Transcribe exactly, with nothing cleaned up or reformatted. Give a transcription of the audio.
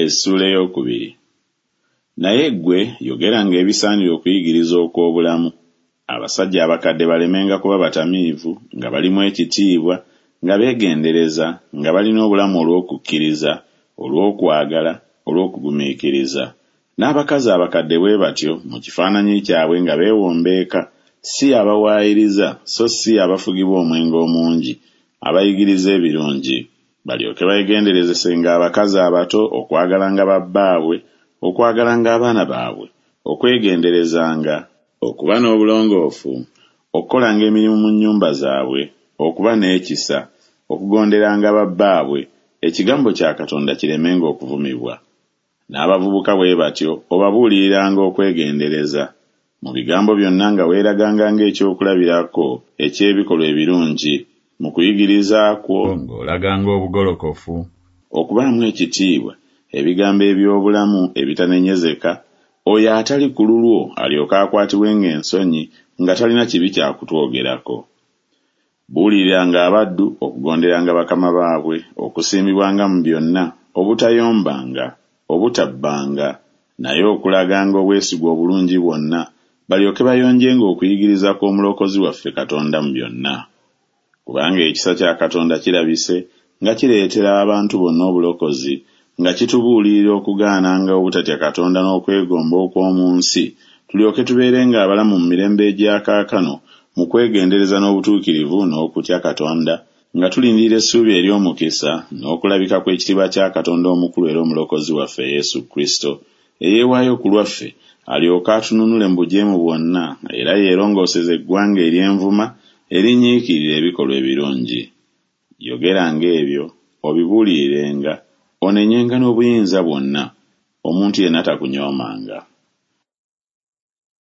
Essuula ey'okubiri. Naye ggwe yogeranga ebisaanira okuyigiriza okw'obulamu. Abasajja abakadde balemenga kuba batamiivu, nga balimu ekitiibwa, nga beegendereza, nga balina obulamu olw'okukkiriza, olw'okwagala, olw'okugumiikiriza. N'abakazi abakadde bwe batyo mu kifaananyi kyabwe nga beewombeeka, si abawaayiriza so si abafugibwa omwenge omungi, abayigiriza ebirungi. Balyoke beegenderezesenga abakazi abato okwagalanga babbaabwe, okwagalanga abaana baabwe, okwegenderezanga, okuba n'obulongoofu, okukolanga emirimu mu nnyumba zaabwe, okuba n'ekisa, okugonderanga babbaabwe, ekigambo kya Katonda kiremenga okuvumibwa. N'abavubuka bwe batyo obabuuliriranga okwegendereza. Mu bigambo byonna nga weeraganga ng'ekyokulabirako eky'ebikolwa ebirungi, mu kuyigiriza kwo ng'olaganga obugolokofu, okubaamu ekitiibwa, ebigambo eby'obulamu ebitanenyezeka, oyo atali ku lulwo alyoke akwatibwenga ensonyi nga talina kibi kya kutwogerako. Buuliriranga abaddu okugonderanga bakama baabwe, okusiimibwanga mu byonna, obutayombanga, obutabbanga, naye okulaganga obwesigwa obulungi bwonna, balyoke bayonjenga okuyigiriza kw'Omulokozi waffe Katonda mu byonna. Kubanga ekisa kya Katonda kirabise nga kireetera abantu bonna obulokozi, nga kitubuulirira okugaananga obutatya Katonda n'okwegomba okw'omu nsi, tulyoke tubeerenga abalamu mu mirembe egya kaakano mu kwegendereza n'obutuukirivu n'okutya Katonda, nga tulindirira essuubi ery'omukisa n'okulabika kw'ekitiibwa kya Katonda omukulu era Omulokozi waffe Yesu Kristo, eyeewaayo ku lwaffe alyoke atununule mu bujeemu bwonna, era yeerongooseze eggwanga ery'envuma erinyiikirira ebikolwa ebirungi. Yogeranga ebyo, obibuulirirenga, onenyenga n'obuyinza bwonna, omuntu yenna takunyoomanga.